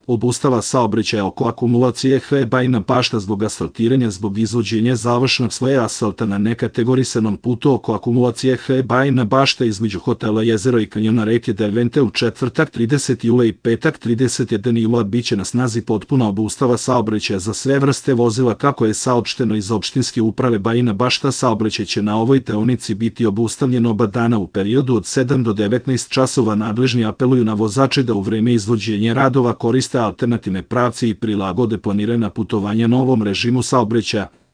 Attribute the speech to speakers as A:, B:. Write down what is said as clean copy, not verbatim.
A: Obustava saobraćaja oko akumulacije HE Bajina Bašta zbog asfaltiranja zbog izvođenja završnog sloja asfalta na nekategorisanom putu oko akumulacije HE Bajina Bašta između hotela Jezero i kanjona reke Dervente u četvrtak 30. jula i petak 31. jula biće na snazi potpuna obustava saobraćaja za sve vrste vozila kako je saopšteno iz opštinske uprave Bajina Bašta. Saobraćaj će na ovoj deonici biti obustavljen oba dana u periodu od 7 do 19 časova. Nadležni apeluju na vozače da u vreme izvođenja radova koriste alternativne pravce i prilagode planirana putovanja novom režimu saobraćaja.